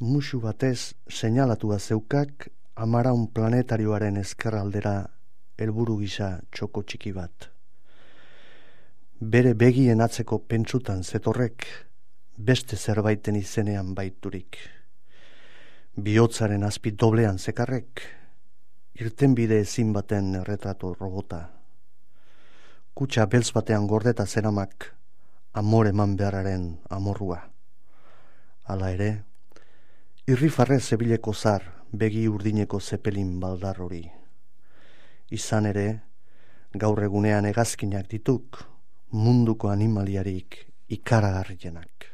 musu batez seinalatua zeukak Amaraun planetarioaren ezkerraldera helburu gisa txoko txiki bat. Bere begien atzeko pentsutan zetorrek beste zerbaiten izenean baiturik. Bihotzaren azpi doblean zekarrek irtenbide ezin baten erretratu robota. Kutxa beltz batean gordeta zeramak amor eman beharraren amorrua. Hala ere, irrifarrez zebileko zar begi urdineko zepelin baldar hori. Izan ere, gaur egunean hegazkinak dituk munduko animaliarik ikaragarrienak.